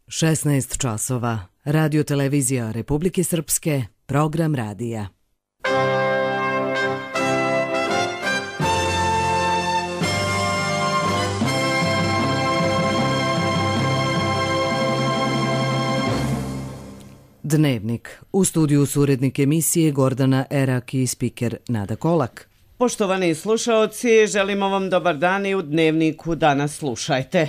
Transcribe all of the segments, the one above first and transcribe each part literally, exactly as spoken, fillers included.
šesnaest časova. Radio televizija Republike Srpske, program radija. Dnevnik. U studiju su urednik emisije Gordana Erak i spiker Nada Kolak. Poštovani slušaoci, želimo vam dobar dan i u Dnevniku danas slušajte.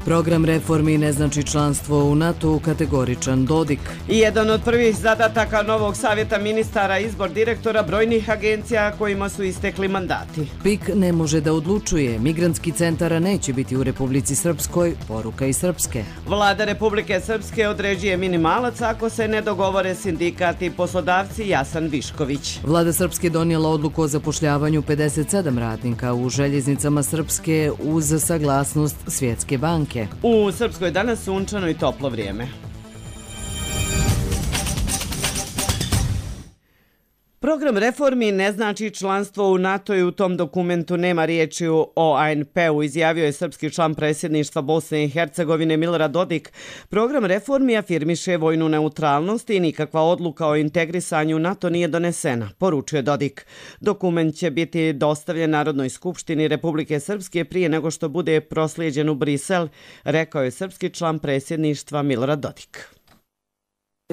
Program reformi ne znači članstvo u NATO, kategoričan Dodik. I jedan od prvih zadataka novog savjeta ministara izbor direktora brojnih agencija kojima su istekli mandati. P I K ne može da odlučuje, migrantski centar neće biti u Republici Srpskoj, poruka iz Srpske. Vlada Republike Srpske određuje minimalac ako se ne dogovore sindikat i poslodavci, Jasan Višković. Vlada Srpske donijela odluku o zapošljavanju pedeset sedam radnika u željeznicama Srpske uz saglasnost Svjetske banke. U Srpskoj danas sunčano i toplo vrijeme. Program reformi ne znači članstvo u NATO i u tom dokumentu nema riječi o A N P-u, izjavio je srpski član predsjedništva Bosne i Hercegovine Milorad Dodik. Program reformi afirmiše vojnu neutralnost i nikakva odluka o integrisanju NATO nije donesena, poručuje Dodik. Dokument će biti dostavljen Narodnoj skupštini Republike Srpske prije nego što bude proslijeđen u Brisel, rekao je srpski član predsjedništva Milorad Dodik.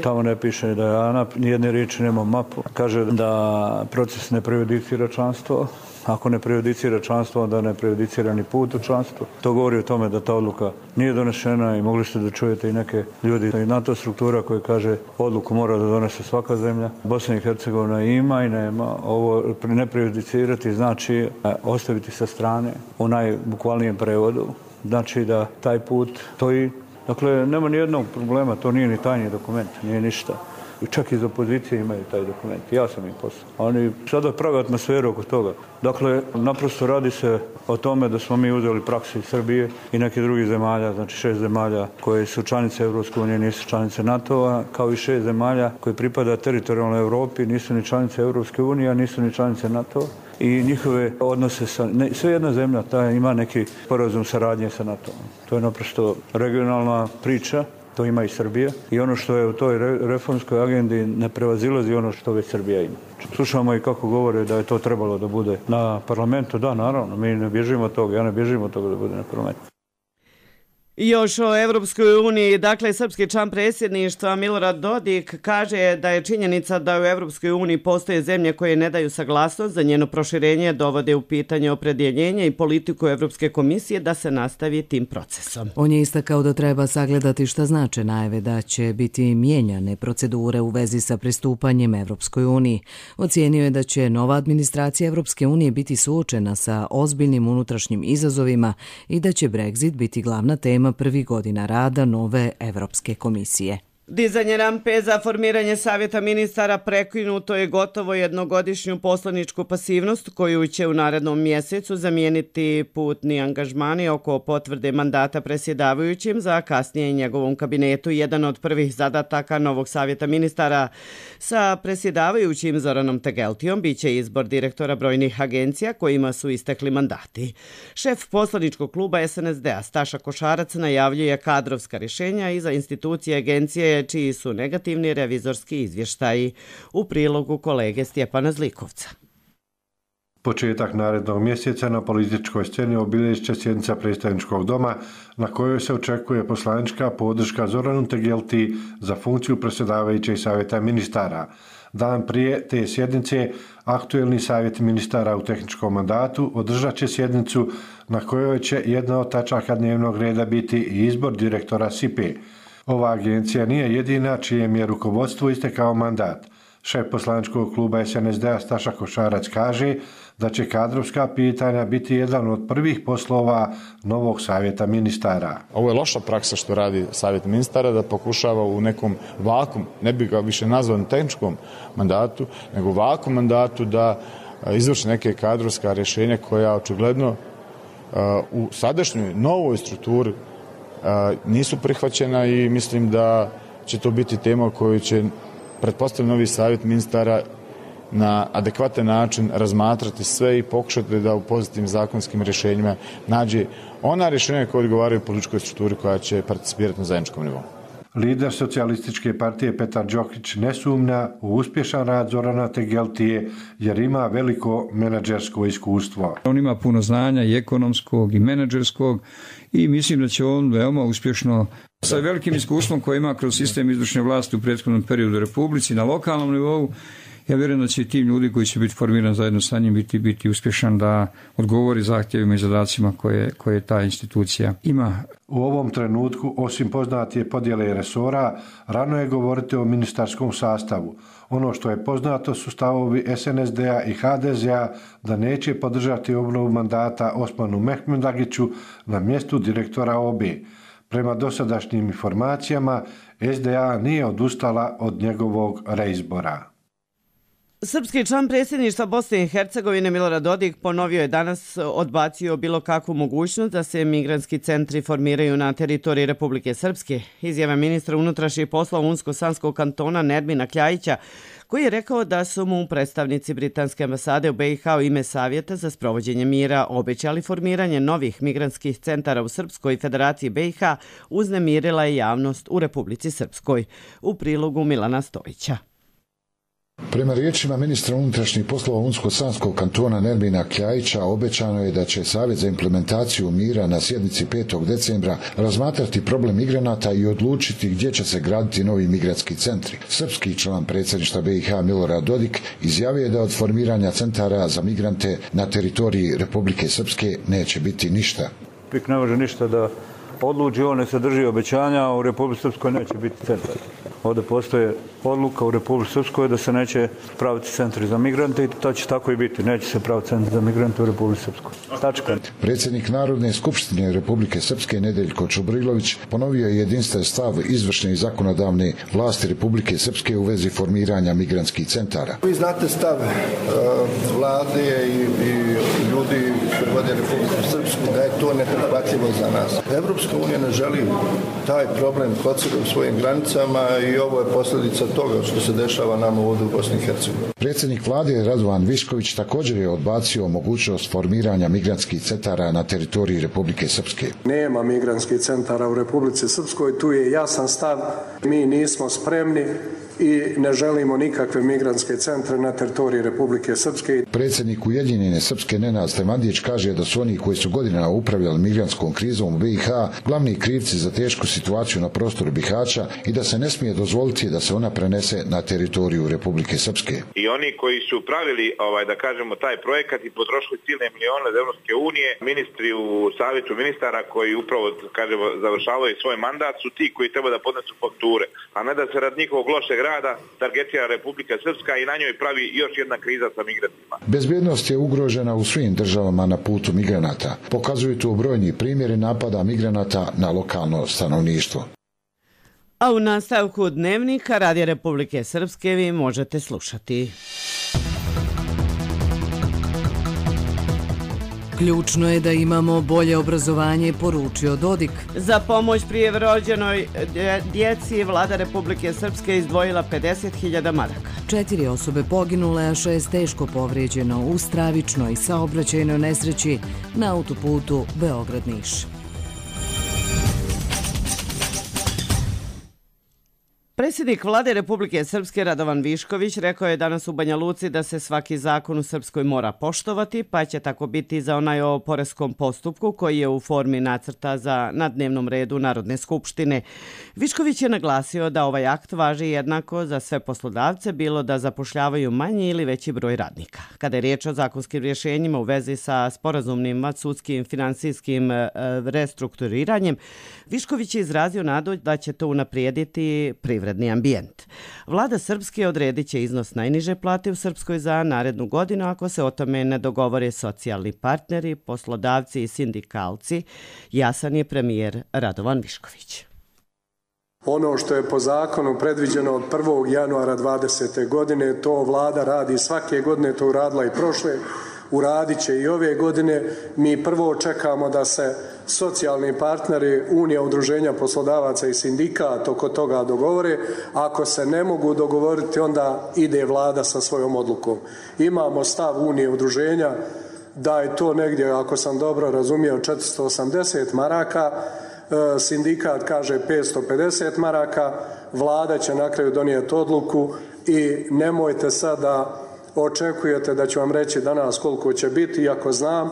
Tamo ne piše da je A N A P, nijedne riječi nema mapu. Kaže da proces ne prejudicira članstvo. Ako ne prejudicira članstvo, onda ne prejudicira ni put u članstvo. To govori o tome da ta odluka nije donešena i mogli ste da čujete i neke ljudi i NATO struktura koji kaže odluku mora da donese svaka zemlja. Bosna i Hercegovina ima i nema. Ovo ne prejudicirati znači ostaviti sa strane u najbukvalnijem prevodu. Znači da taj put stoji. Dakle, nema ni jednog problema, to nije ni tajni dokument, nije ništa. I čak iz opozicije imaju taj dokument, ja sam im poslao. Oni sada prave atmosferu oko toga. Dakle, naprosto radi se o tome da smo mi uzeli praksu iz Srbije i nekih drugih zemalja, znači šest zemalja koje su članice Evropske unije, nisu članice NATO-a, kao i šest zemalja koje pripada teritorijalnoj Evropi, nisu ni članice Evropske unije, nisu ni članice NATO-a. I njihove odnose sa... Ne, sve jedna zemlja ta ima neki sporazum saradnje sa NATO-om. To je naprosto regionalna priča, to ima i Srbija. I ono što je u toj re, reformskoj agendi ne prevazilazi ono što već Srbija ima. Slušamo i kako govore da je to trebalo da bude na parlamentu. Da, naravno, mi ne bježimo od toga, ja ne bježim od toga da bude na parlamentu. Još o Evropskoj uniji, dakle, srpski član predsjedništva Milorad Dodik kaže da je činjenica da u Evropskoj uniji postoje zemlje koje ne daju saglasnost za njeno proširenje, dovode u pitanje opredjeljenje i politiku Evropske komisije da se nastavi tim procesom. On je istakao da treba sagledati šta znače najave da će biti mijenjane procedure u vezi sa pristupanjem Evropskoj uniji. Ocijenio je da će nova administracija Evropske unije biti suočena sa ozbiljnim unutrašnjim izazovima i da će Brexit biti glavna tema prvih godina rada nove Evropske komisije. Dizanje rampe za formiranje savjeta ministara prekinuto je gotovo jednogodišnju poslaničku pasivnost koju će u narednom mjesecu zamijeniti putni angažmani oko potvrde mandata predsjedavajućim za kasnije njegovom kabinetu. Jedan od prvih zadataka novog savjeta ministara sa predsjedavajućim Zoranom Tegeltijom biće izbor direktora brojnih agencija kojima su istekli mandati. Šef poslaničkog kluba S N S D-a Staša Košarac najavljuje kadrovska rješenja i za institucije agencije čiji su negativni revizorski izvještaji. U prilogu kolege Stjepana Zlikovca. Početak narednog mjeseca na političkoj sceni obilježit će sjednica predstavničkog doma na kojoj se očekuje poslanička podrška Zoranu Tegelti za funkciju predsjedavajućeg savjeta ministara. Dan prije te sjednice aktuelni savjet ministara u tehničkom mandatu održat će sjednicu na kojoj će jedna od tačaka dnevnog reda biti i izbor direktora S I P-e. Ova agencija nije jedina čijem je rukovodstvu istekao mandat. Šef poslaničkog kluba S N S D-a Staša Košarac kaže da će kadrovska pitanja biti jedan od prvih poslova novog savjeta ministara. Ovo je loša praksa što radi savjet ministara, da pokušava u nekom vakum, ne bi ga više nazvao tehničkom mandatu, nego vakum mandatu da izvrši neke kadrovska rješenja koja očigledno u sadašnjoj novoj strukturi nisu prihvaćena i mislim da će to biti tema koju će, pretpostavljam, novi savjet ministara na adekvatan način razmatrati sve i pokušati da u pozitivnim zakonskim rješenjima nađe ona rješenja koja odgovaraju političkoj strukturi koja će participirati na zajedničkom nivou. Lider socijalističke partije Petar Đokić ne sumnja u uspješan rad Zorana Tegeltije jer ima veliko menadžersko iskustvo. On ima puno znanja i ekonomskog i menadžerskog i mislim da će on veoma uspješno sa velikim iskustvom koje ima kroz sistem izvršne vlasti u prethodnom periodu u Republici na lokalnom nivou. Ja vjerujem da će i tim ljudi koji će biti formiran zajedno sa njim biti, biti uspješan da odgovori zahtjevima i zadacima koje, koje ta institucija ima. U ovom trenutku, osim poznatije podjele resora, rano je govoriti o ministarskom sastavu. Ono što je poznato su stavovi S N S D-a i H D Z-a da neće podržati obnovu mandata Osmanu Mehmetagiću na mjestu direktora O B. Prema dosadašnjim informacijama, S D A nije odustala od njegovog reizbora. Srpski član predsjedništva Bosne i Hercegovine Milorad Dodik ponovio je danas odbacio bilo kakvu mogućnost da se migrantski centri formiraju na teritoriji Republike Srpske. Izjava ministra unutrašnjih poslova Unsko-Sanskog kantona Nermina Kljajića, koji je rekao da su mu predstavnici britanske ambasade u B i H u ime Savjeta za sprovođenje mira obećali formiranje novih migrantskih centara u Srpskoj Federaciji B i H, uznemirila je javnost u Republici Srpskoj. U prilogu Milana Stojića. Prema riječima ministra unutrašnjih poslova Unsko-Sanskog kantona Nermina Kljajića, obećano je da će Savjet za implementaciju mira na sjednici petog decembra razmatrati problem migranata i odlučiti gdje će se graditi novi migrantski centri. Srpski član predsjedništva B i H Milorad Dodik izjavio je da od formiranja centara za migrante na teritoriji Republike Srpske neće biti ništa. Pik ne može ništa da odluči, on ne sadrži obećanja, a u Republici Srpskoj neće biti centar. Ovdje postoje odluka u Republici Srpskoj da se neće praviti centri za migrante i to će tako i biti. Neće se praviti centri za migrante u Republici Srpskoj. Tačka. Predsjednik Narodne skupštine Republike Srpske Nedeljko Čubrilović ponovio je jedinstven stav izvršne i zakonodavne vlasti Republike Srpske u vezi formiranja migrantskih centara. Vi znate stav uh, vlade i, i ljudi koji vode Republiku Srpsku da je to neprihvatljivo za nas. Evropska unija ne želi taj problem kod sebe u svojim granicama i ovo je posljedica toga što se dešava nama ovdje u Bosni i Hercegovini. Predsjednik vlade Radovan Višković također je odbacio mogućnost formiranja migrantskih centara na teritoriji Republike Srpske. Nema migrantskih centara u Republici Srpskoj, tu je jasan stav, mi nismo spremni i ne želimo nikakve migrantske centre na teritoriji Republike Srpske. Predsjednik Ujedinjene Srpske Nenad Stemandić kaže da su oni koji su godinama upravljali migrantskom krizom u B i H glavni krivci za tešku situaciju na prostoru Bihaća i da se ne smije dozvoliti da se ona prenese na teritoriju Republike Srpske. I oni koji su pravili, ovaj, da kažemo, taj projekat i potrošili silne milione od Evropske unije, ministri u savjetu ministara koji upravo, kažemo, završavaju svoj mandat su ti koji treba da podnesu fakture, a ne da se rad njihovog lošeg rada targetira Republika Srpska i na njoj pravi još jedna kriza sa migrantima. Bezbjednost je ugrožena u svim državama na putu migranata. Pokazuju to brojni primjeri napada migranata na lokalno stanovništvo. A u nastavku Dnevnika Radija Republike Srpske vi možete slušati. Ključno je da imamo bolje obrazovanje, poručio Dodik. Za pomoć prijerođenoj djeci vlada Republike Srpske izdvojila pedeset hiljada maraka. Četiri osobe poginule, a šest teško povrijeđeno u stravičnoj saobraćajnoj nesreći na autoputu Beograd-Niš. Predsjednik vlade Republike Srpske Radovan Višković rekao je danas u Banja Luci da se svaki zakon u Srpskoj mora poštovati, pa će tako biti za onaj o poreskom postupku koji je u formi nacrta za na dnevnom redu Narodne skupštine. Višković je naglasio da ovaj akt važi jednako za sve poslodavce, bilo da zapošljavaju manji ili veći broj radnika. Kada je riječ o zakonskim rješenjima u vezi sa sporazumnim sudskim finansijskim restrukturiranjem, Višković je izrazio nadu da će to unaprijediti privredni ambijent. Vlada Srpske odredit će iznos najniže plate u Srpskoj za narednu godinu ako se o tome ne dogovore socijalni partneri, poslodavci i sindikalci, jasan je premijer Radovan Višković. Ono što je po zakonu predviđeno od prvog januara dvadesete godine, to vlada radi svake godine, to uradila i prošle. uradit će i ove godine. Mi prvo čekamo da se socijalni partneri, Unija udruženja poslodavaca i sindikat oko toga dogovore. Ako se ne mogu dogovoriti, onda ide vlada sa svojom odlukom. Imamo stav Unije udruženja da je to negdje, ako sam dobro razumio, četiristo osamdeset maraka, sindikat kaže petsto pedeset maraka, vlada će na kraju donijeti odluku i nemojte sada očekujete da ću vam reći danas koliko će biti, iako znam.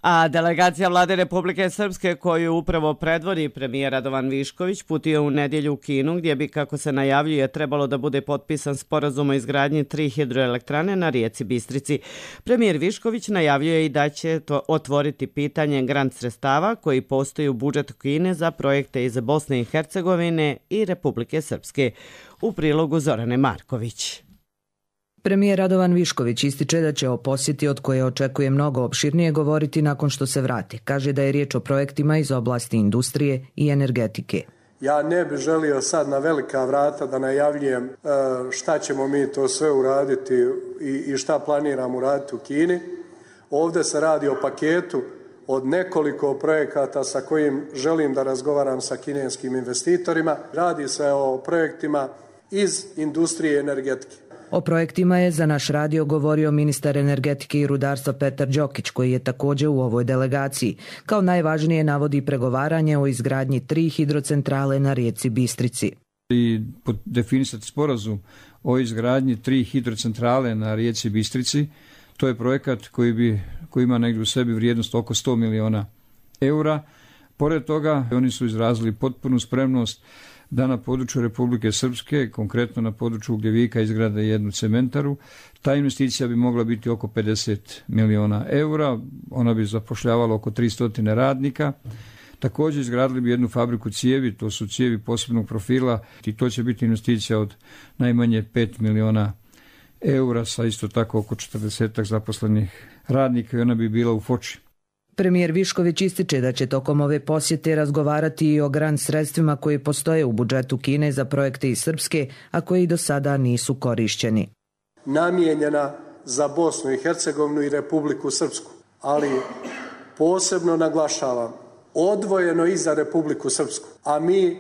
A delegacija Vlade Republike Srpske koju upravo predvodi premijer Radovan Višković putio u nedjelju u Kinu gdje bi, kako se najavljuje, trebalo da bude potpisan sporazum o izgradnji tri hidroelektrane na rijeci Bistrici. Premijer Višković najavljuje i da će to otvoriti pitanje grant sredstava koji postoji u budžetu Kine za projekte iz Bosne i Hercegovine i Republike Srpske. U prilogu Zorane Marković. Premijer Radovan Višković ističe da će o posjeti od koje očekuje mnogo opširnije govoriti nakon što se vrati. Kaže da je riječ o projektima iz oblasti industrije i energetike. Ja ne bih želio sad na velika vrata da najavljujem šta ćemo mi to sve uraditi i šta planiramo uraditi u Kini. Ovdje se radi o paketu od nekoliko projekata sa kojim želim da razgovaram sa kineskim investitorima. Radi se o projektima iz industrije i energetike. O projektima je za naš radio govorio ministar energetike i rudarstva Petar Đokić, koji je također u ovoj delegaciji. Kao najvažnije navodi pregovaranje o izgradnji tri hidrocentrale na rijeci Bistrici. I definisati sporazum o izgradnji tri hidrocentrale na rijeci Bistrici, to je projekat koji, bi, koji ima negdje u sebi vrijednost oko sto miliona eura. Pored toga, oni su izrazili potpunu spremnost da na području Republike Srpske, konkretno na području Ugljevika, izgrade jednu cementaru. Ta investicija bi mogla biti oko pedeset miliona eura, ona bi zapošljavala oko tristo radnika. Također izgradili bi jednu fabriku cijevi, to su cijevi posebnog profila i to će biti investicija od najmanje pet miliona eura sa isto tako oko četrdeset zaposlenih radnika i ona bi bila u Foči. Premijer Višković ističe da će tokom ove posjete razgovarati i o grant sredstvima koji postoje u budžetu Kine za projekte iz Srpske, a koji do sada nisu korišćeni. Namijenjena za Bosnu i Hercegovinu i Republiku Srpsku, ali posebno naglašavam, odvojeno i za Republiku Srpsku, a mi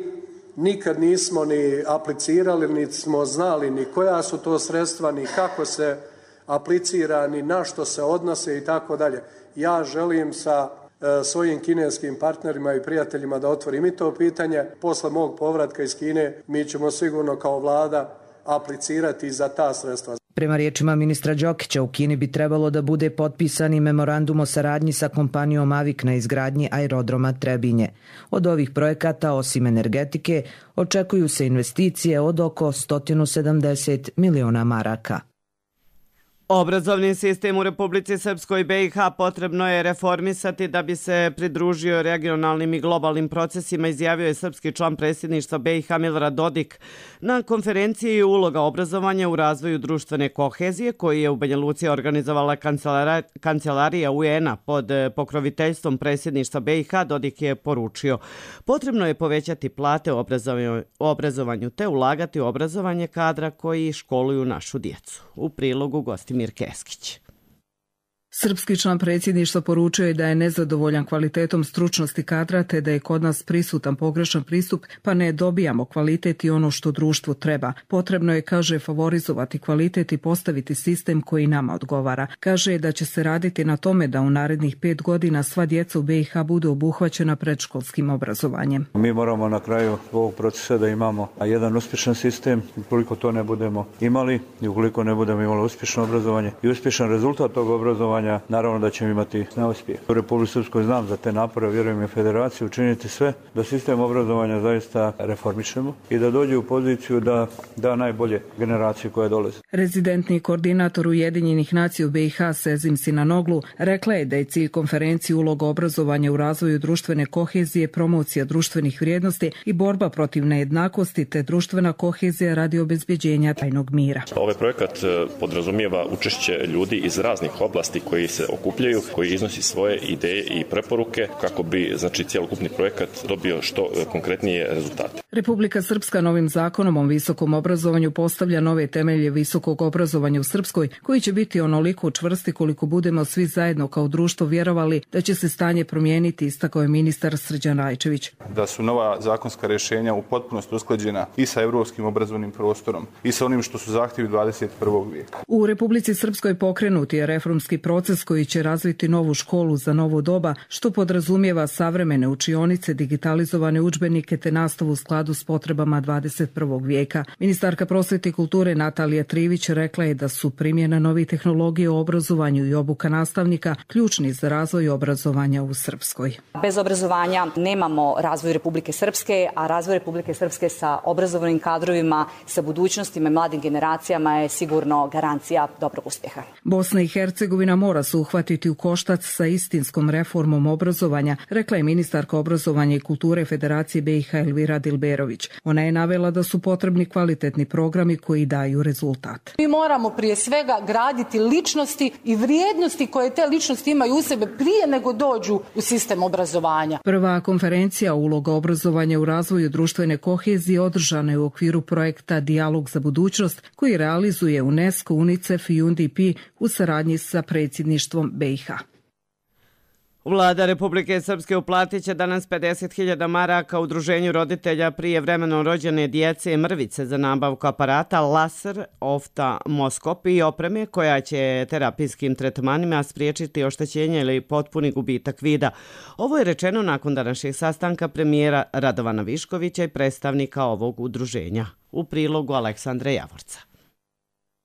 nikad nismo ni aplicirali, ni smo znali ni koja su to sredstva, ni kako se aplicira, ni na što se odnose i tako dalje. Ja želim sa e, svojim kineskim partnerima i prijateljima da otvorim i to pitanje. Posle mog povratka iz Kine mi ćemo sigurno kao vlada aplicirati za ta sredstva. Prema riječima ministra Đokića, u Kini bi trebalo da bude potpisani memorandum o saradnji sa kompanijom Avik na izgradnji aerodroma Trebinje. Od ovih projekata, osim energetike, očekuju se investicije od oko sto sedamdeset miliona maraka. Obrazovni sistem u Republici Srpskoj i B i H potrebno je reformisati da bi se pridružio regionalnim i globalnim procesima, izjavio je srpski član predsjedništva B i H Milorad Dodik na konferenciji Uloga obrazovanja u razvoju društvene kohezije koji je u Banja Luci organizovala kancelarija U N-a pod pokroviteljstvom predsjedništva B i H. Dodik je poručio: potrebno je povećati plate u obrazovanju te ulagati u obrazovanje kadra koji školuju našu djecu. U prilogu gosti Mir Keskić. Srpski član predsjedništva poručio je da je nezadovoljan kvalitetom stručnosti kadra te da je kod nas prisutan pogrešan pristup pa ne dobijamo kvalitet i ono što društvu treba. Potrebno je, kaže, favorizovati kvalitet i postaviti sistem koji nama odgovara. Kaže da će se raditi na tome da u narednih pet godina sva djeca u B i H budu obuhvaćena predškolskim obrazovanjem. Mi moramo na kraju ovog procesa da imamo jedan uspješan sistem. Ukoliko to ne budemo imali i ukoliko ne budemo imali uspješno obrazovanje i uspješan rezultat tog obrazovanja, naravno da ćemo imati neuspjeh. U Republici Srpskoj znam za te napore, vjerujem i Federaciju, učiniti sve da sistem obrazovanja zaista reformišemo i da dođe u poziciju da da najbolje generacije koje dolaze. Rezidentni koordinator Ujedinjenih nacija u B i H Sezim Sinanoglu rekla je da je cilj konferencije uloga obrazovanja u razvoju društvene kohezije, promocija društvenih vrijednosti i borba protiv nejednakosti te društvena kohezija radi obezbeđenja trajnog mira. Ovaj projekat podrazumijeva učešće ljudi iz raznih oblasti koji se okupljaju, koji iznosi svoje ideje i preporuke kako bi znači cjelokupni projekat dobio što konkretnije rezultate. Republika Srpska novim zakonom o visokom obrazovanju postavlja nove temelje visokog obrazovanja u Srpskoj, koji će biti onoliko čvrsti koliko budemo svi zajedno kao društvo vjerovali da će se stanje promijeniti, istakao je ministar Srđan Rajčević. Da su nova zakonska rješenja u potpunosti usklađena i sa europskim obrazovnim prostorom i sa onim što su zahtjevi dvadeset prvog vijeka. U Republici Srpskoj pokrenut je reformski proces koji će razviti novu školu za novo doba, što podrazumijeva savremene učionice, digitalizovane udžbenike te nastavu u skladu s potrebama dvadeset prvog vijeka. Ministarka prosvete i kulture Natalija Trivić rekla je da su primjena novih tehnologija u obrazovanju i obuka nastavnika ključni za razvoj obrazovanja u Srpskoj. Bez obrazovanja nemamo razvoj Republike Srpske, a razvoj Republike Srpske sa obrazovanim kadrovima, sa budućnostima i mladim generacijama je sigurno garancija dobrog uspjeha. Bosna i Hercegovina mora se uhvatiti u koštac sa istinskom reformom obrazovanja, rekla je ministarka obrazovanja i kulture Federacije B i H Elvira Dilberović. Ona je navela da su potrebni kvalitetni programi koji daju rezultat. Mi moramo prije svega graditi ličnosti i vrijednosti koje te ličnosti imaju u sebe prije nego dođu u sistem obrazovanja. Prva konferencija Uloga obrazovanja u razvoju društvene kohezije održana je u okviru projekta Dijalog za budućnost koji realizuje UNESCO, UNICEF i U N D P u saradnji sa predsjedništvom B i H. Vlada Republike Srpske uplatit će danas pedeset hiljada maraka udruženju roditelja prijevremeno rođene djece mrvice za nabavku aparata laser, oftalmoskop i opreme koja će terapijskim tretmanima spriječiti oštećenje ili potpuni gubitak vida. Ovo je rečeno nakon današnjeg sastanka premijera Radovana Viškovića i predstavnika ovog udruženja. U prilogu Aleksandra Javorca.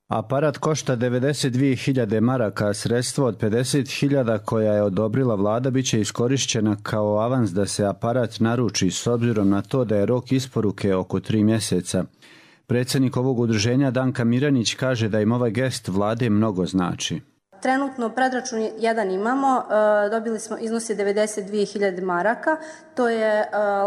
Aparat košta devedeset dvije hiljade maraka, a sredstvo od pedeset hiljada koja je odobrila vlada biće iskorišćena kao avans da se aparat naruči s obzirom na to da je rok isporuke oko tri mjeseca. Predsjednik ovog udruženja Danka Miranić kaže da im ovaj gest vlade mnogo znači. Trenutno predračun jedan imamo, dobili smo iznosi devedeset dvije hiljade maraka, to je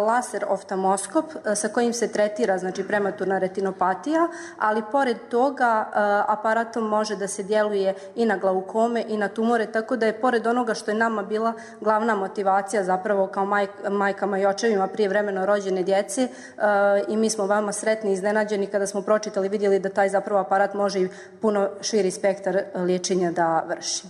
laser oftalmoskop sa kojim se tretira znači prematurna retinopatija, ali pored toga aparatom može da se djeluje i na glaukome i na tumore, tako da je pored onoga što je nama bila glavna motivacija zapravo kao maj, majkama i očevima prijevremeno rođene djece i mi smo vama sretni i iznenađeni kada smo pročitali, vidjeli da taj zapravo aparat može i puno širi spektar liječenja da vrši.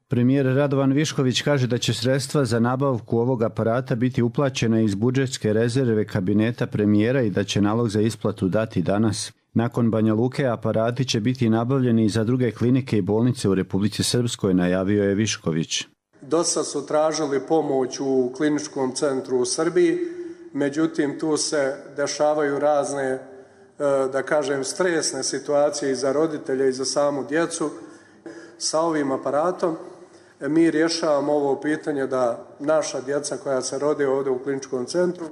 Premijer Radovan Višković kaže da će sredstva za nabavku ovog aparata biti uplaćena iz budžetske rezerve kabineta premijera i da će nalog za isplatu dati danas. Nakon Banja Luke aparati će biti nabavljeni i za druge klinike i bolnice u Republici Srpskoj, najavio je Višković. Dosta su tražili pomoć u kliničkom centru u Srbiji, međutim tu se dešavaju razne, da kažem, stresne situacije i za roditelje i za samu djecu. Sa ovim aparatom mi rješavamo ovo pitanje da naša djeca koja se rode ovdje u kliničkom centru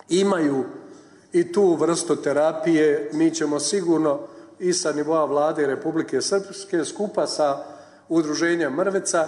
imaju i tu vrstu terapije. Mi ćemo sigurno i sa nivoa vlade Republike Srpske skupa sa udruženjem Mrvica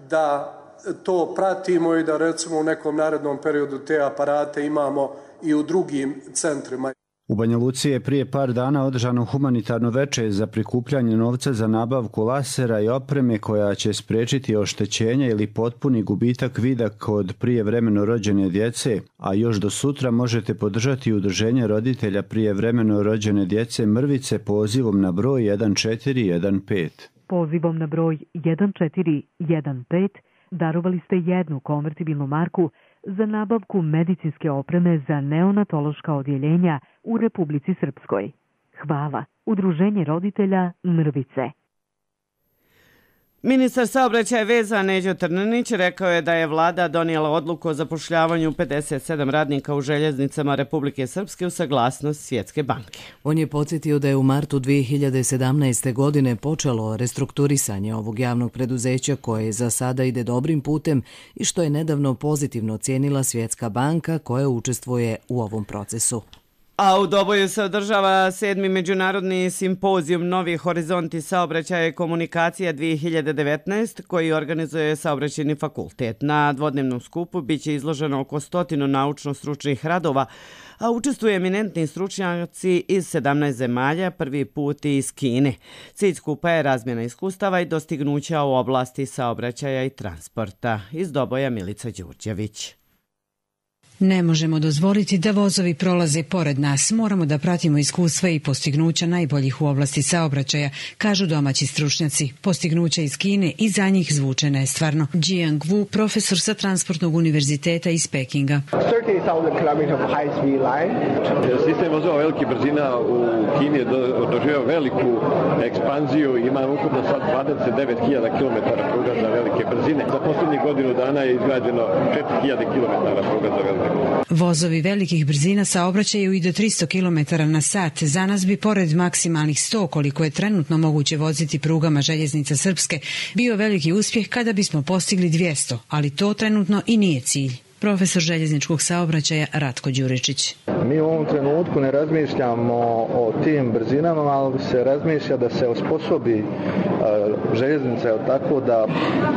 da to pratimo i da recimo u nekom narednom periodu te aparate imamo i u drugim centrima. U Banja Luci je prije par dana održano humanitarno veče za prikupljanje novca za nabavku lasera i opreme koja će spriječiti oštećenje ili potpuni gubitak vida kod prijevremeno rođene djece, a još do sutra možete podržati udruženje roditelja prijevremeno rođene djece Mrvice pozivom na broj jedan četiri jedan pet. Pozivom na broj jedan četiri jedan pet darovali ste jednu konvertibilnu marku za nabavku medicinske opreme za neonatološka odjeljenja u Republici Srpskoj. Hvala. Udruženje roditelja Mrvice. Ministar saobraćaja veza Neđo Trninić rekao je da je vlada donijela odluku o zapošljavanju pedeset sedam radnika u željeznicama Republike Srpske u saglasnost Svjetske banke. On je podsjetio da je u martu dvije hiljade sedamnaeste. godine počelo restrukturisanje ovog javnog preduzeća koje za sada ide dobrim putem i što je nedavno pozitivno ocijenila Svjetska banka koja učestvuje u ovom procesu. A u Doboju se održava sedmi međunarodni simpozijum Novi horizonti saobraćaja i komunikacija dvije hiljade devetnaest koji organizuje Saobraćajni fakultet. Na dvodnevnom skupu biće izloženo oko stotinu naučno-stručnih radova, a učestvuju eminentni stručnjaci iz sedamnaest zemalja, prvi put i iz Kine. Cilj skupa je razmjena iskustava i dostignuća u oblasti saobraćaja i transporta. Iz Doboja Milica Đurđević. Ne možemo dozvoliti da vozovi prolaze pored nas. Moramo da pratimo iskustva i postignuća najboljih u oblasti saobraćaja, kažu domaći stručnjaci. Postignuća iz Kine i za njih zvuče nestvarno. Jiang Wu, profesor sa Transportnog univerziteta iz Pekinga. Sistem vozova velikih brzina u Kini je doživio veliku ekspanziju. Ima ukupno sad dvadeset devet hiljada kilometara pruga za velike brzine. Za posljednjih godinu dana je izgrađeno četiri hiljade kilometara pruga za velike. Vozovi velikih brzina saobraćaju i do tristo kilometara na sat. Za nas bi pored maksimalnih sto, koliko je trenutno moguće voziti prugama željeznica Srpske, bio veliki uspjeh kada bismo postigli dvjesto, ali to trenutno i nije cilj. Profesor željezničkog saobraćaja Ratko Đuričić. Mi u ovom trenutku ne razmišljamo o tim brzinama, ali se razmišlja da se osposobi željeznica tako da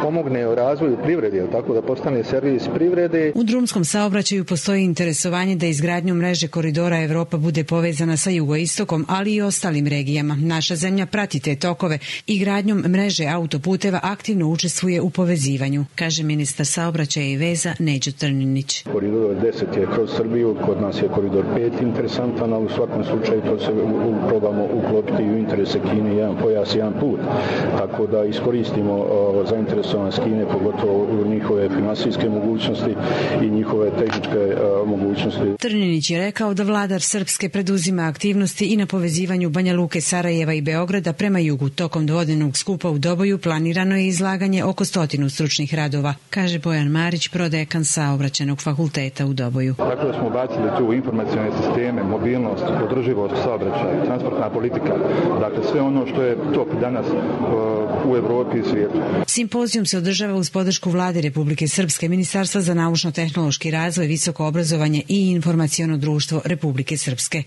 pomogne u razvoju privrede, tako da postane servis privrede. U drumskom saobraćaju postoji interesovanje da izgradnjom mreže koridora Evropa bude povezana sa jugoistokom, ali i ostalim regijama. Naša zemlja prati te tokove i gradnjom mreže autoputeva aktivno učestvuje u povezivanju, kaže ministar saobraćaja i veza Neđo Trninić. Koridor deset je kroz Srbiju, kod nas je koridor pet interesantan, ali u svakom slučaju to se probamo uklopiti u interese Kine, jedan pojas, jedan put. Tako da iskoristimo uh, zainteresovanost Kine, pogotovo u njihove finansijske mogućnosti i njihove tehničke uh, mogućnosti. Trninić je rekao da vladar Srpske preduzima aktivnosti i na povezivanju Banja Luke, Sarajeva i Beograda prema jugu. Tokom dvodnevnog skupa u Doboju planirano je izlaganje oko stotinu stručnih radova, kaže Bojan Marić, prodekan Saobraćajnog fakulteta u Doboju. Tako da smo bacili tu informacione sisteme, mobilnost, održivost saobraćaja, transportna politika, dakle sve ono što je top danas u Evropi i svijetu. Simpozijum se održava uz podršku Vlade Republike Srpske, Ministarstva za naučno-tehnološki razvoj, visoko obrazovanje i informaciono društvo Republike Srpske.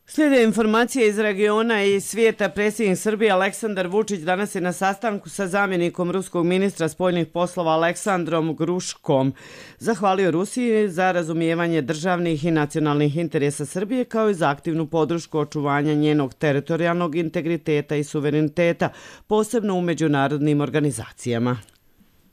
Slijede informacije iz regiona i svijeta. Predsjednik Srbije Aleksandar Vučić danas je na sastanku sa zamjenikom ruskog ministra spoljnih poslova Aleksandrom Gruškom. Zahvalio Rusiji za razumijevanje državnih i nacionalnih interesa Srbije kao i za aktivnu podršku očuvanja njenog teritorijalnog integriteta i suvereniteta, posebno u međunarodnim organizacijama.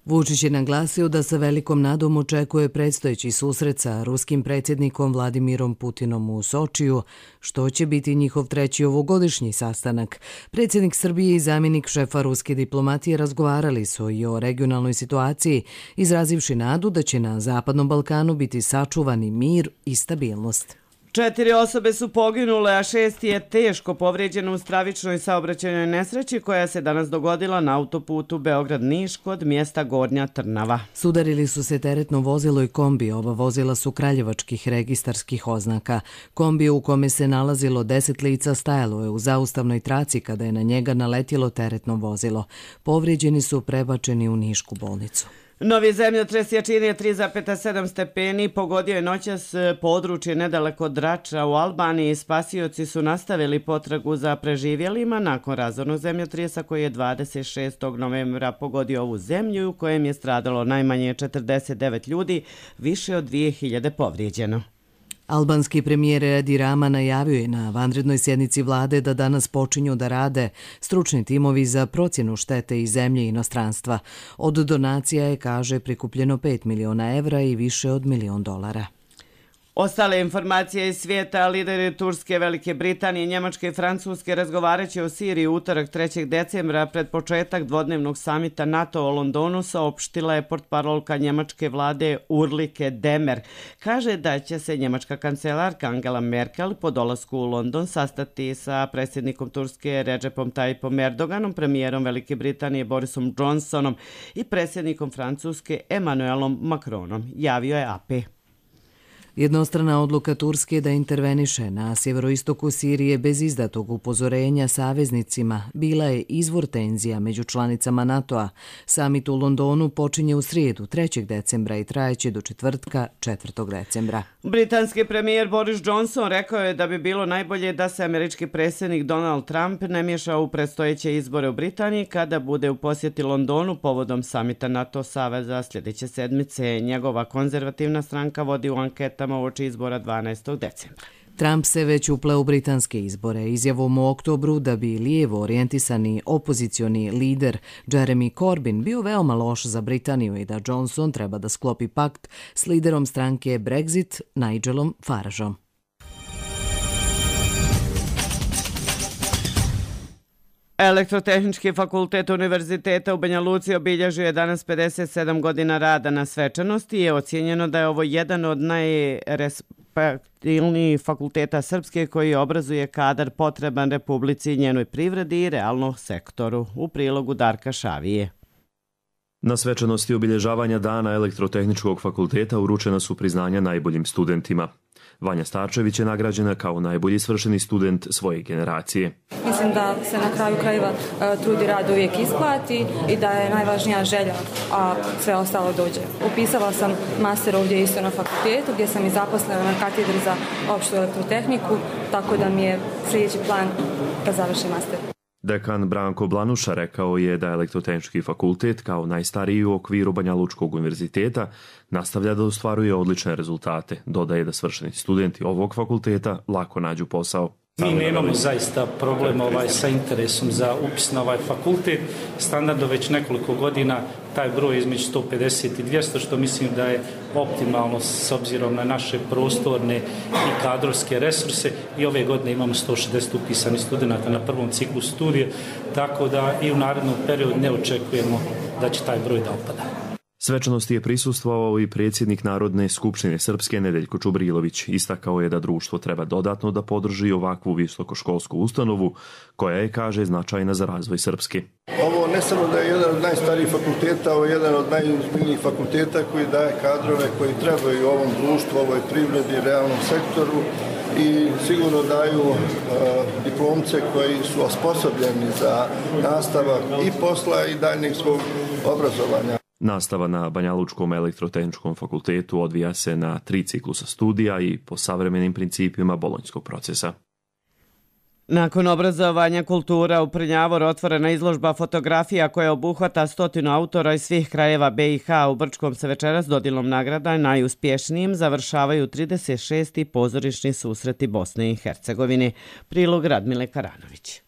Vučić je naglasio da sa velikom nadom očekuje predstojeći susret sa ruskim predsjednikom Vladimirom Putinom u Sočiju, što će biti njihov treći ovogodišnji sastanak. Predsjednik Srbije i zamjenik šefa ruske diplomatije razgovarali su i o regionalnoj situaciji, izrazivši nadu da će na Zapadnom Balkanu biti sačuvani mir i stabilnost. Četiri osobe su poginule, a šest je teško povrijeđeno u stravičnoj saobraćajnoj nesreći koja se danas dogodila na autoputu Beograd-Niš kod mjesta Gornja Trnava. Sudarili su se teretno vozilo i kombi. Oba vozila su kraljevačkih registarskih oznaka. Kombi u kome se nalazilo deset lica stajalo je u zaustavnoj traci kada je na njega naletjelo teretno vozilo. Povrijeđeni su prebačeni u Nišku bolnicu. Novi zemljotres jačine tri zarez sedam stepeni pogodio je noćas područje nedaleko od Drača u Albaniji. Spasioci su nastavili potragu za preživjelima nakon razornog zemljotresa koji je dvadeset šestog novembra pogodio ovu zemlju u kojem je stradalo najmanje četrdeset devet ljudi, više od dvije hiljade povrijeđeno. Albanski premijer Edi Rama najavio je na vanrednoj sjednici vlade da danas počinju da rade stručni timovi za procjenu štete iz zemlje i inostranstva. Od donacija je, kaže, prikupljeno pet miliona evra i više od milion dolara. Ostale informacije iz svijeta, lideri Turske, Velike Britanije, Njemačke i Francuske razgovarajući o Siriji utorak trećeg decembra pred početak dvodnevnog samita NATO u Londonu, saopštila je portparolka njemačke vlade Urlike Demer. Kaže da će se njemačka kancelarka Angela Merkel po dolasku u London sastati sa predsjednikom Turske Recepom Tayyipom Erdoganom, premijerom Velike Britanije Borisom Johnsonom i predsjednikom Francuske Emmanuelom Macronom, javio je A P. Jednostrana odluka Turske da interveniše na sjeveroistoku Sirije bez izdatog upozorenja saveznicima bila je izvor tenzija među članicama NATO-a. Samit u Londonu počinje u srijedu trećeg decembra i trajeće do četvrtka četvrtog decembra. Britanski premijer Boris Johnson rekao je da bi bilo najbolje da se američki predsjednik Donald Trump ne miješa u predstojeće izbore u Britaniji kada bude u posjeti Londonu povodom samita NATO saveza sljedeće sedmice. Njegova konzervativna stranka vodi u anketama uoči izbora dvanaestog decembra. Trump se već upleo u britanske izbore izjavom u oktobru da bi lijevo orijentisani opozicioni lider Jeremy Corbyn bio veoma loš za Britaniju i da Johnson treba da sklopi pakt s liderom stranke Brexit Nigelom Farageom. Elektrotehnički fakultet Univerziteta u Banja Luci obilježio je danas pedeset sedam godina rada na svečanosti i je ocijenjeno da je ovo jedan od najrespektilnijih fakulteta Srpske koji obrazuje kadar potreban Republici i njenoj privredi i realnom sektoru. U prilogu Darka Šavije. Na svečanosti obilježavanja Dana Elektrotehničkog fakulteta uručena su priznanja najboljim studentima. Vanja Starčević je nagrađena kao najbolji svršeni student svoje generacije. Mislim da se na kraju krajeva trud i rad uvijek isplati i da je najvažnija želja, a sve ostalo dođe. Upisala sam master ovdje isto na fakultetu gdje sam i zaposlena na katedri za opštu elektrotehniku, tako da mi je sljedeći plan da završim master. Dekan Branko Blanuša rekao je da Elektrotehnički fakultet kao najstariji u okviru Banja Lučkog univerziteta nastavlja da ostvaruje odlične rezultate. Dodaje da svršeni studenti ovog fakulteta lako nađu posao. Mi nemamo zaista problem ovaj, sa interesom za upis na ovaj fakultet. Standardno već nekoliko godina taj broj između sto pedeset i dvjesto, što mislim da je optimalno s obzirom na naše prostorne i kadrovske resurse. I ove godine imamo sto šezdeset upisanih studenta na prvom ciklu studija, tako da i u narednom periodu ne očekujemo da će taj broj da opada. Svečanosti je prisustvovao i predsjednik Narodne skupštine Srpske Nedeljko Čubrilović. Istakao je da društvo treba dodatno da podrži ovakvu visokoškolsku ustanovu koja je, kaže, značajna za razvoj Srpske. Ovo ne samo da je jedan od najstarijih fakulteta, ovo je jedan od najozbiljnijih fakulteta koji daje kadrove koji trebaju ovom društvu, ovoj privredi, realnom sektoru i sigurno daju uh, diplomce koji su osposobljeni za nastavak i posla i daljnjeg svog obrazovanja. Nastava na Banjalučkom elektrotehničkom fakultetu odvija se na tri ciklusa studija i po savremenim principima bolonjskog procesa. Nakon obrazovanja kultura u Prnjavoru otvorena izložba fotografija koja obuhvata stotinu autora iz svih krajeva be i ha. U Brčkom se večeras dodjelom nagrada najuspješnijim završavaju trideset šesti pozorišni susreti Bosne i Hercegovine. Prilog Radmile Karanović.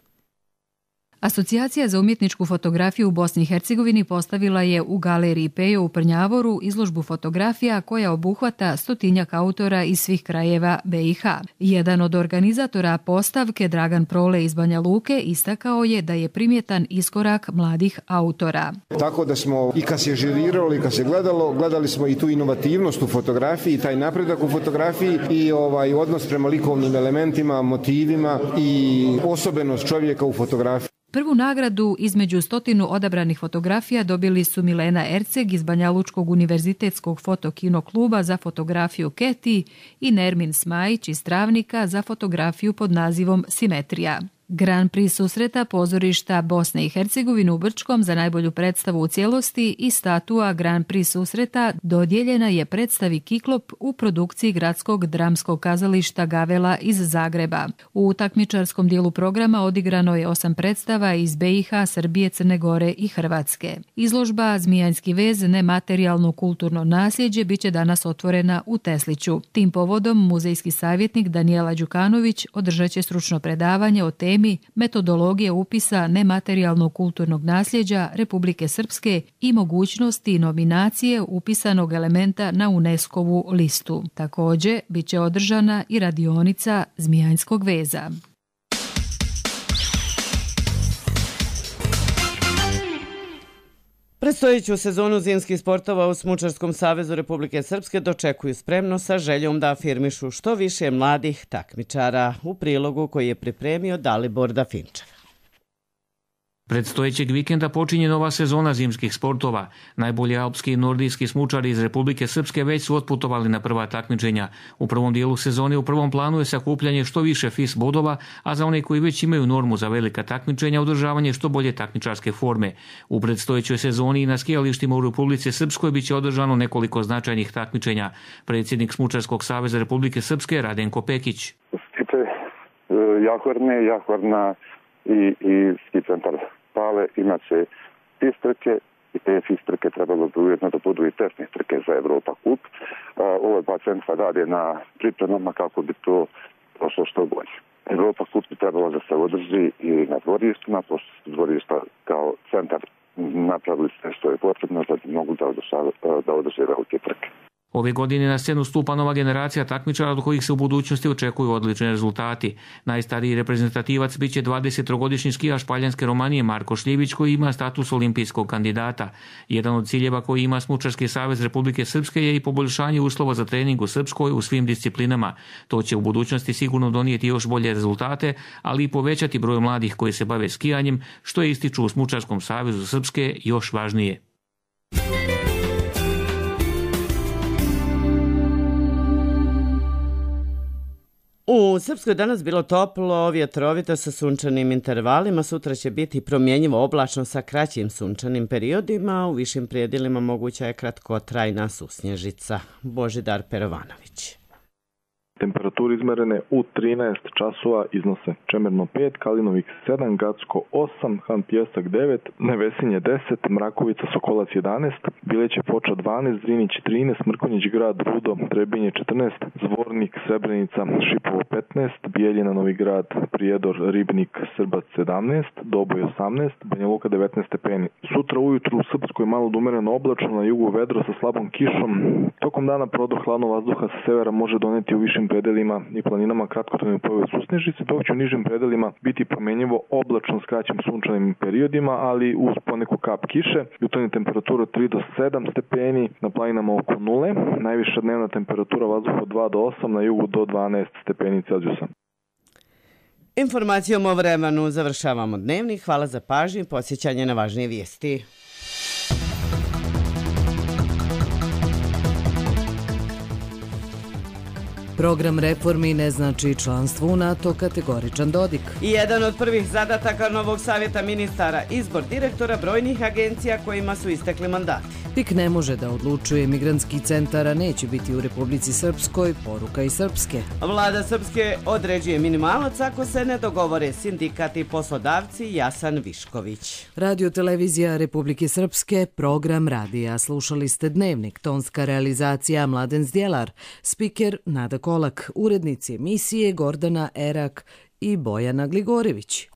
Asocijacija za umjetničku fotografiju u Bosni i Hercegovini postavila je u galeriji Pejo u Prnjavoru izložbu fotografija koja obuhvata stotinjak autora iz svih krajeva be i ha. Jedan od organizatora postavke, Dragan Prole iz Banja Luke, istakao je da je primjetan iskorak mladih autora. Tako da smo i kad se žiriralo i kad se gledalo, gledali smo i tu inovativnost u fotografiji, taj napredak u fotografiji i ovaj odnos prema likovnim elementima, motivima i osobenost čovjeka u fotografiji. Prvu nagradu između stotinu odabranih fotografija dobili su Milena Erceg iz Banjalučkog univerzitetskog fotokino kluba za fotografiju Keti i Nermin Smajić iz Travnika za fotografiju pod nazivom Simetrija. Grand Prix susreta pozorišta Bosne i Hercegovine u Brčkom za najbolju predstavu u cijelosti i statua Grand Prix susreta dodijeljena je predstavi Kiklop u produkciji Gradskog dramskog kazališta Gavela iz Zagreba. U takmičarskom dijelu programa odigrano je osam predstava iz be i ha, Srbije, Crne Gore i Hrvatske. Izložba Zmijanski vez, nematerijalno kulturno nasljeđe biće danas otvorena u Tesliću. Tim povodom muzejski savjetnik Danijela Đukanović održat će stručno predavanje o temi metodologije upisa nematerijalnog kulturnog nasljeđa Republike Srpske i mogućnosti nominacije upisanog elementa na UNESCO-vu listu. Također, bit će održana i radionica Zmijanskog veza. Predstojeću sezonu zimskih sportova u Smučarskom savezu Republike Srpske dočekuju spremno sa željom da afirmišu što više mladih takmičara, u prilogu koji je pripremio Dalibor Dafinčev. Predstojećeg vikenda počinje nova sezona zimskih sportova. Najbolji alpski i nordijski smučari iz Republike Srpske već su otputovali na prva takmičenja. U prvom dijelu sezone u prvom planu je sakupljanje što više F I S bodova, a za one koji već imaju normu za velika takmičenja održavanje što bolje takmičarske forme. U predstojećoj sezoni i na skijalištima u Republici Srpskoj biće održano nekoliko značajnih takmičenja. Predsjednik Smučarskog saveza Republike Srpske Radenko Pekić. Skice Jahorne, Jahorna i, i ski centar Pale imat će F I S trke i te F I S trke trebalo bi ujedno da budu i testne trke za Evropa kup. Ovo dva centra rade na pripremama kako bi to prošlo što bolje. Evropa kup bi trebalo da se održi i na dvorištima, pošto su dvorišta kao centar napravili sve što je potrebno da bi mogu da, da održe velike trke. Ove godine na scenu stupa nova generacija takmičara od kojih se u budućnosti očekuju odlični rezultati. Najstariji reprezentativac biće dvadesettrogodišnji skijaš Paljanske Romanije Marko Šljivić koji ima status olimpijskog kandidata. Jedan od ciljeva koji ima Smučarski savez Republike Srpske je i poboljšanje uslova za trening u Srpskoj u svim disciplinama. To će u budućnosti sigurno donijeti još bolje rezultate, ali i povećati broj mladih koji se bave skijanjem, što je ističu u Smučarskom savezu Srpske još važnije. U Srpskoj danas bilo toplo, vjetrovito sa sunčanim intervalima, sutra će biti promjenjivo oblačno sa kraćim sunčanim periodima, u višim prijedilima moguća je kratkotrajna susnježica. Božidar Perovanović. Temperature izmerene u trinaest časova iznose Čemerno pet, Kalinovik sedam, Gacko osam, Han Pjesak devet, Nevesinje deset, Mrakovica Sokolac jedanaest, Bileće Foča dvanaest, Zrinić trinaest, Mrkonjić Grad Rudo, Trebinje četrnaest, Zvornik Srebrenica Šipovo petnaest, Bijeljina Novi Grad Prijedor Ribnik Srbac sedamnaest, Doboj osamnaest, Banja Luka devetnaest stepeni. Sutra ujutru u Srpskoj malo da umereno oblačno, na jugu vedro sa slabom kišom. Tokom dana prodor hladnog vazduha sa severa može doneti u višim predelima i planinama kratkotrajne pojave susnežice, dok će u nižim predelima biti promjenjivo oblačno s kraćim sunčanim periodima, ali uz poneku kap kiše. Jutarnja temperatura tri do sedam stepeni, na planinama oko nule, najviša dnevna temperatura vazduha od dva do osam, na jugu do dvanaest stepeni Celzijusa. Informacijom o vremenu završavamo dnevnik. Hvala za pažnju i podsjećanje na važnije vijesti. Program reformi ne znači članstvo u NATO, kategoričan Dodik. I jedan od prvih zadataka novog savjeta ministara, izbor direktora brojnih agencija kojima su istekli mandati. P I K ne može da odlučuje, migrantski centara neće biti u Republici Srpskoj, poruka i Srpske. Vlada Srpske određuje minimalac ako se ne dogovore sindikati i poslodavci. Jasan Višković. Radio televizija Republike Srpske, program radija. Slušali ste dnevnik, tonska realizacija Mladen Zdjelar, spiker Nada Kolak, urednici emisije Gordana Erak i Bojana Gligorević.